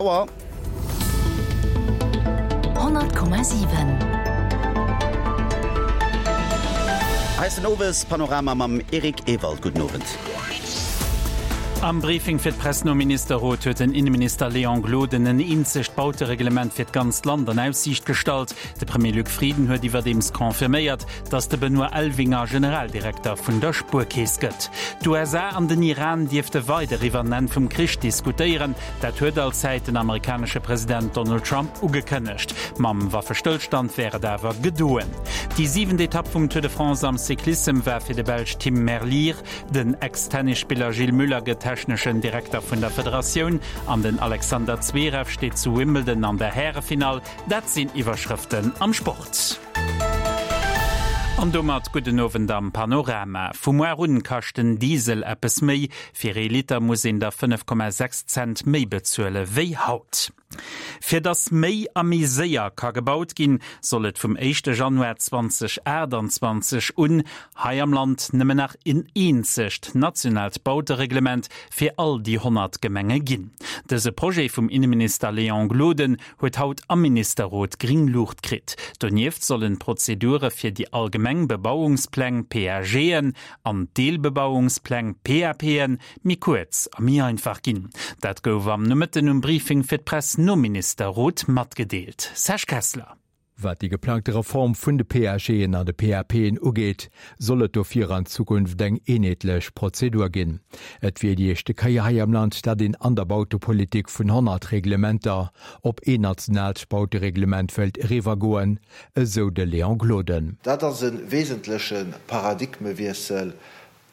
Auer. 100,7. Hei ass den Owespanorama mam Eric Ewald. Gudden Owend. Am Briefing fir d'Press nom Ministerrot huet den Inneminister Léon Gloden en eenzegt Bautereglement fir d'ganzt Land an Aussiicht gestallt. De Premier Luc Frieden huet iwwerdeems confirméiert, datt de Benoît Elvinger Generaldirekter vun der Spuerkeess gëtt. D'USA an den Iran dierfte weider iwwer en Enn vum Krich diskutéieren. Dat huet allzäit den amerikanesche President Donald Trump ugekënnegt. Mam Waffestëllstand wär et awer gedoen. Déi siwent Etapp vum Tour de France am Cyclissem war fir de Belsch Tim Merlier. Den Ex-Tennisspiller Gilles Müller gëtt techneschen Direkter vun der Federatioun an den Alexander Zverev steet zu Wimbledon an der Härefinall. Dat sinn Iwwerschrëften am Sport. An domat gudden Owend am Panorama. Vu muar un kascht den Diesel eppes méi. Fir ee Liter muss een der 5,6 Cent méi bezuele wéi haut. Fir datt méi a méi séier ka gebaut ginn, soll et vum éischte Januar 2028 un hei am Land nëmmen nach een eenzegt nationaalt Bautereglement fir all déi 100 Gemenge ginn. Dëse Projet vum Inneminister Léon Gloden huet haut am Ministerrot gring Luucht kritt. Donieft sollen d'Prozedure fir déi allgemeng Bebauungspläng, PAGen, an d'Deelbebauungspläng, PAPen, méi kuerz a méi einfach ginn. Dat gouf am Nomëtten um Briefing fir d'Press nom Ministerrot matgedeelt. Serge Kessler. Wat déi geplangte Reform vun de PAGen an de PAPen ugeet, soll et dofir an Zukunft eng eenheetlech Prozedur ginn. Et wier déi éischte Kéier hei am Land, datt een an der Bautepolitik vun 100 Reglementer op een nationaalt Bautereglement wëllt eriwwergoen, esou de Léon Gloden. Dat ass e wesentleche Paradigmewiessel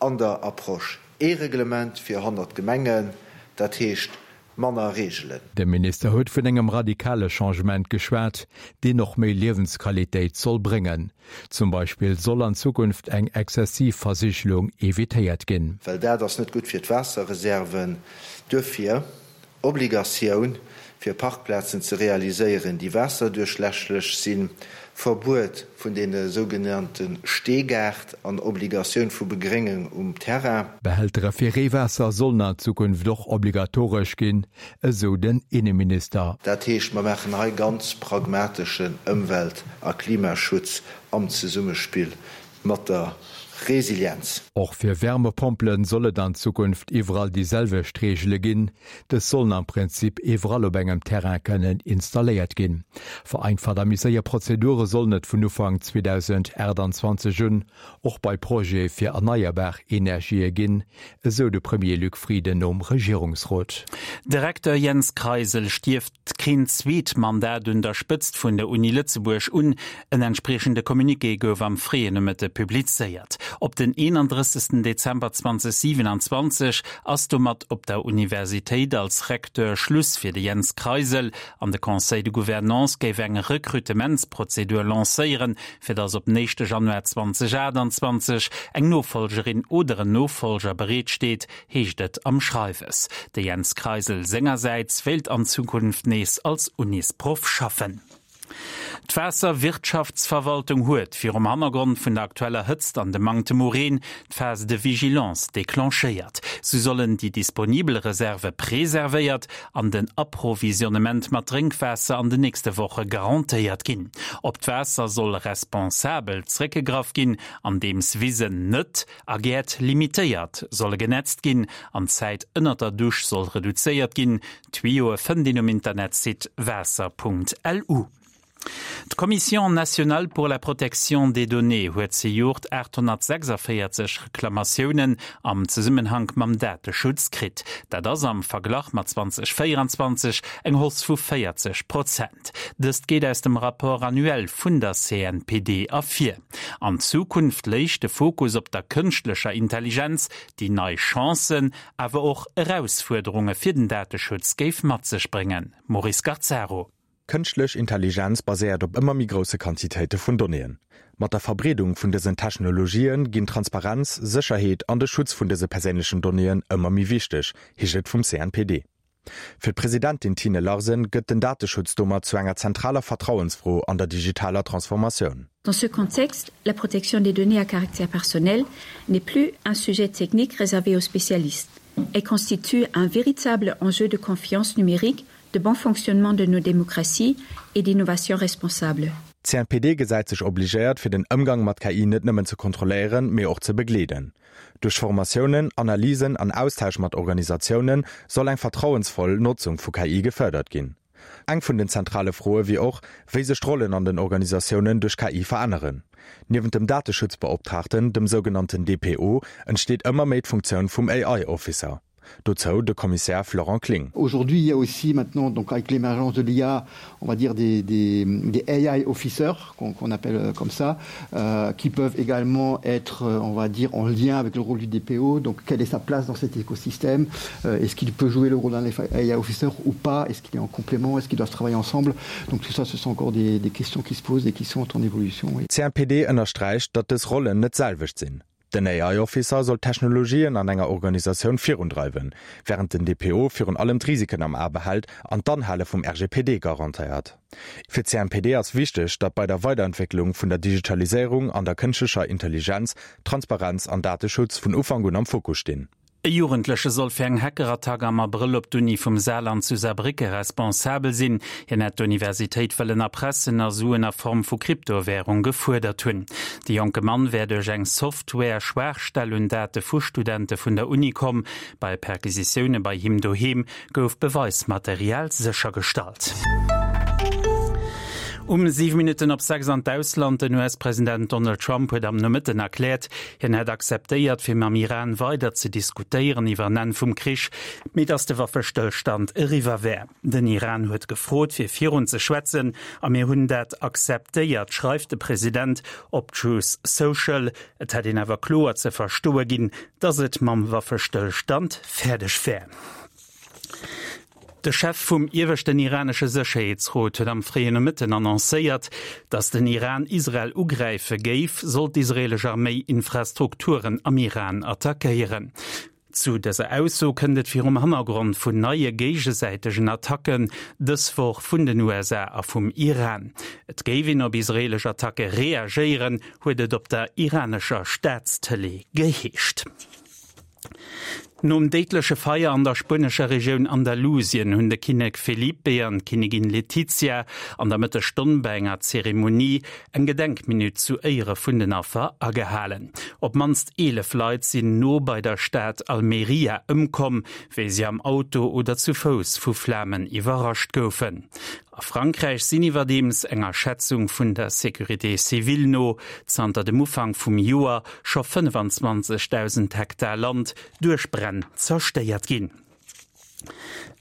an der Approche. Ee Reglement fir 100 Gemengen, dat heescht manner Reegelen. De Minister huet vun engem radikale Changement geschwat, deen och méi Liewensqualitéit soll bréngen. Zum Beispill soll an Zukunft eng exzessiv Versigelung evitéiert ginn. Well dat ass net gutt fir d'Waasserreserven. Duerfir Obligatioun fir Parkplazen ze realiséieren, déi waasserduerchlässlech sinn, Verbuet vun deene sougenannte Steegaart an Obligatioun vu Begréngung um Terrain. Behältere fir Reewaasser sollen an Zukunft och obligatoresch ginn, esou den Inneminister. Dat heescht, mer maachen hei ganz pragmateschen Ëmwelt a Klimaschutz am Zesummespill mat der Resilienz. Och fir Wärmepompele soll et an Zukunft iwwerall déi selwecht Reegele ginn. Dës sollen am Prinzip iwwerall op engem Terrain kënnen installéiert ginn. Vereinfacht a méi séier Prozedure sollen et vun Ufank 2028 un och bei Projete fir erneierbar Energië ginn, esou de Premier Luc Frieden nom Regierungsrot. De Recteur Jens Kreisel stierft keen zweet Mandat un der Spëtzt vun der Uni Lëtzebuerg un. En entspriechende Communiqué gouf am fréien Nomëtte publizéiert. Op den 31. Dezember 2027 ass domat op der Universitéit als Recteur Schluss fir de Jens Kreisel an de Conseil de Gouvernance géif eng Rekrutementsprozedur lancéieren, fir datt op den éischte Januar 2028 eng Nofollgerin oder en Nofollger bereet steet, heescht et am Schreiwes. De Jens Kreisel sengersäits wéilt an Zukunft nees als Unisproff schaffen. D'Waasserwirtschaftsverwaltung huet, virum Hannergrond vun der aktueller Hëtzt an dem Manktem u Reen, d'Phase de vigilance declenchéiert. Sou sollen déi disponibel Reserve preservéiert an den Approvisionnement mat Drénkwaasser an den nächste Woche garantéiert ginn. Op d'Waasser soll responsabel zréckgegraff ginn, andeems Wisen net a Gäert limitéiert solle genetzt ginn an d'Zäit ënnert der Dusch soll reduzéiert ginn. D'Tuyaue fënnt een um Internetsite waasser.lu. D'Commission nationale pour la protection des données huet zejoert 846 Reklamatiounen am Zesummenhank mam Dateschutz kritt. Dat ass am Verglach mat 2024 eng Hausse vu 40 Prozent. Dëst geet aus dem Rapport annuel vun der CNPD ervir. An Zukunft léich de Fokus op der kënschtlecher Intelligenz, déi nei Chancen, awer och Erausfuerderunge fir den Dateschutz géif mat sech bréngen. Maurice Garzaro. Kënschtlech Intelligenz baséiert op ëmmer méi grousse Quantitéite vun Donnéeën. Mat der Verbreedung vun dësen Technologië ginn Transparenz, Sécherheet an de Schutz vun dëse perséinlechen Donnéeën ëmmer méi wichteg, heescht et vum CNPD. Fir d'Presidentin Tine Larsen gëtt den Dateschutz domat zu enger zentraler Vertrauensfro an der digitaler Transformatioun. Dans ce contexte, la protection des données à caractère personnel n'est plus un sujet technique réservé aux spécialistes. Elle constitue un véritable enjeu de confiance numérique. de bon fonctionnement de nos démocraties et d'innovation responsable. D'CNPD gesäit sech obligéiert, fir den Ëmgang mat KI net nëmmen ze kontrolléieren, mee och ze begleeden. Duerch Formatiounen, Analysen an Austausch mat Organisatioune soll eng vertrauensvoll Notzung vu KI gefërdert ginn. Eng vun den zentrale Froe wier och, wéi sech d'Rollen an den Organisatiounen duerch KI veränneren. Niewent dem Dateschutzbeoptraagten, dem sougenannten DPO, entsteet ëmmer méi d'Funktioun vum AI-Officer. Dozou de Kommissär Florent Kling. Aujourd'hui, il y a aussi maintenant donc avec l'émergence de l'IA, on va dire des, des, des AI officers qu'on qu appelle euh, comme ça, euh, qui peuvent également être, euh, on va dire, en lien avec le rôle du DPO. Donc quelle est sa place dans cet écosystème euh, Est-ce qu'il peut jouer le rôle d'un AI officer ou pas Est-ce qu'il est en complément Est-ce qu'ils doivent travailler ensemble Donc tout ça, ce sont encore des, des questions qui se posent et qui sont en évolution. Oui. CNPD ënnersträicht, datt dës Rollen net d'selwecht sinn. Den AI Officer soll d'Technologien an enger Organisatioun virundreiwen, wärend den DPO virun allem d'Risiken am A behält an d'Anhale vum RGPD garantéiert. Fir d'CNPD ass wichteg, datt bei der Weiderentwécklung vun der Digitaliséierung an der kënschtlecher Intelligenz Transparenz an Dateschutz vun Ufank un am Fokus stinn. E Jugendleche soll fir eng Hackerattack am Abrëll op d'Uni vum Saarland zu Saarbrécke responsabel sinn. Hien hätt d'Universitéit wëllen erpressen a Suen a Form vu Kryptowärung gefuerdert hunn. De jonke Mann wär duerch eng Software-Schwaachstell un Date vu Studente vun der Uni komm. Bei Perquisitioune bei him doheem gouf Beweismaterial séchergestallt. Um 7 Minutten op 6 an d'Ausland, Den US-President Donald Trump huet am Nomëtten erkläert, hien hätt akzeptéiert, fir mam Iran weider ze diskutéieren iwwer en Enn vum Krich, mee datt de Waffestëllstand eriwwer wär. Den Iran huet gefrot, fir virun ze schwätzen, a mir hunn dat akzeptéiert, schreift de President op Truth Social. Et hätt een awer kloer ze verstoe ginn, datt et mam Waffestëllstand fäerdeg wär. De Chef vum ieweschten iranesche Sécherheetsrot huet am fréien Nomëtten annoncéiert, datt den Iran Israel ugräife géif, sollt d'israeelesch Arméi Infrastrukturen am Iran attackéieren. Zu dëser Ausso kënnt et virum Hannergrond vun neie géigesäitegen Attacken dës Woch vun den USA a vum Iran. Et géif een op israeelesch Attacke reagéieren, huet et op der iranescher Staatstëlee geheescht. Nom déidleche Feier an der spuenescher Regioun Andalusien hunn de Kinnek Felipe an d'Kinnigin Letizia an der Mëttesstonn bei enger Zeremonie eng Gedenkminutt zu Éiere vun den Affer agehalen. Op d'mannst 11 Leit sinn no bei der Stad Almeria ëmkomm, wéi si am Auto oder zu Fouss vu Flamen iwwerrascht goufen. A Frankräich sinn iwwerdeems, enger Schätzung vun der Sécurité civile no, zanter dem Ufank vum Joer scho 25.000 Hektar Land duerch Bränn zerstéiert ginn.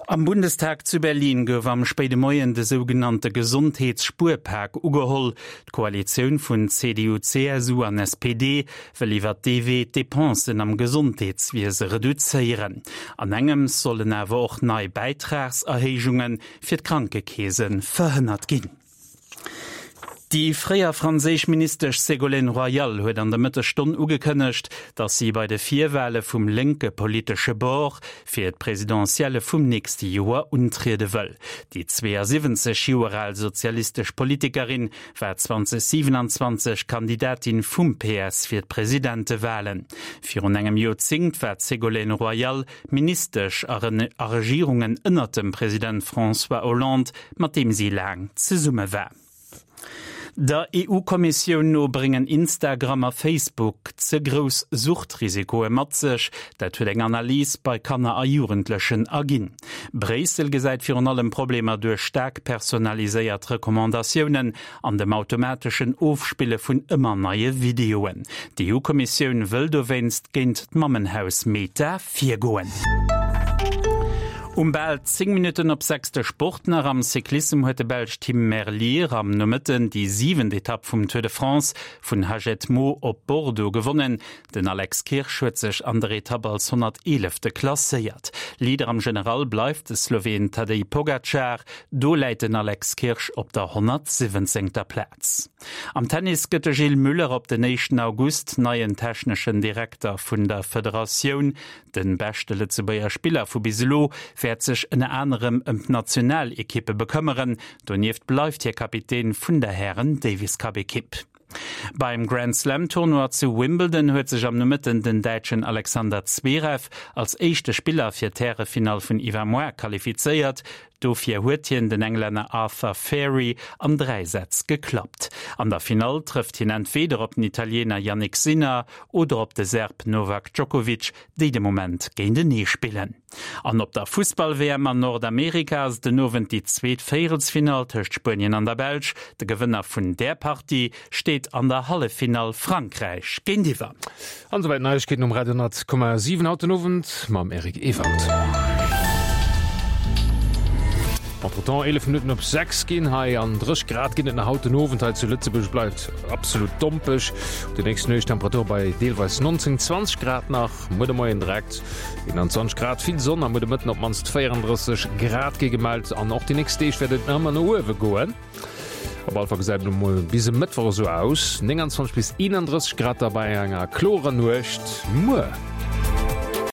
Am Bundestag zu Berlin gouf am spéide Moien de sougenannte Gesondheetsspuerpak ugeholl. D'Koalitioun vun CDU, CSU an SPD wëll iwwert dee Wee d'Depensen am Gesondheetswiese reduzéieren. An engems sollen awer och nei Bäitragserhéijunge fir d'Krankekeese verhënnert ginn. Déi fréier franséisch Ministesch Ségolène Royal huet an der Mëttesstonn ugekënnegt, datt si bei de Virwale vum lénke politesche Bord fir d'Presidentielle vum nächste Joer untriede wëll. Déi 72 Joer al sozialistesch Politikerin war 2027 Kandidatin vum PS fir d'Presidentewalen. Virun engem Joerzéngt war d'Ségolène Royal Ministesch a Regierungen ënnert dem President François Hollande, mat deem si laang zesumme war. Der EU-Kommissioun no bréngen Instagram a Facebook ze grouss Suchtrisikoe mat sech. Dat huet eng Analys bei Kanner a Jugendlechen erginn. Bréissel gesäit virun allem Problemer duerch staark personaliséiert Recommandatiounen an dem automateschen Ofspille vun ëmmer neie Videoen. D'EU-Kommissioun wëll dowéinst géint d'Mammenhaus Meta virgoen. Um bal 10 Minutten op 6 de Sport nach. Am Cyclissem huet de Belsch Tim Merlier am Nomëtten déi siwent Etapp vum Tour de France vun Hagetmau op Bordeaux gewonnen. Den Alex Kirsch huet sech an der Etapp als 111. Klasséiert. Leader am General bleift de Sloween Tadej Pogacar, do läit den Alex Kirsch op der 117. Plaz. Am Tennis gëtt de Gilles Muller op den éischten August neien techneschen Direkter vun der Federatioun. De beschte Lëtzebuerger Spiller vu bis elo wäert sech ënner anerem ëm d'Nationalekippe bekëmmeren. Donieft bleift hie Kapitän vun der Hären-Davis-Cup-Ekipp. Beim Grand-Slam-Tournoi zu Wimbledon huet sech am Nomëtten den Däitschen Alexander Zverev als éischte Spiller fir d'Härefinall vun iwwermoar qualifizéiert. Dofir huet hien den Englänner Arthur Fery an 3 Sätz geklappt. An der Finall trëfft hien entweeder op den Italiener Jannik Sinner oder op de Serb Novak Djokovic, déi de Moment géintenee spillen. An op der Fussball-WM an Nordamerika ass et den Owend déi zweet Véierelsfinall tëscht Spuenien an der Belsch. De Gewënner vun där Partie steet an der Halleffinall Frankräich géintiwwer. An esouwäit d'Neiegkeeten um Radio 10,7 haut den Owend mam Eric Ewald. Entretemps 11 Minutten op 6 ginn hei an 30 Grad ginn et nach haut den Owend hei zu Lëtzebuerg. Bleift absolut dompeg. Déi nächst Nuecht Temperature bei deelweis 19, 20 Grad nach. Muer de Moien direkt 21 Grad, vill Sonn a muer de Mëtten op d'mannst 34 Grad gi gemellt. An och déi nächst Deeg wäert et nach ëmmer no uewe goen. Op alle Fall gesäit et elo mol bis e Mëttwoch esou aus, 29 bis 31 Grad da bei enger klorer Nuecht muer.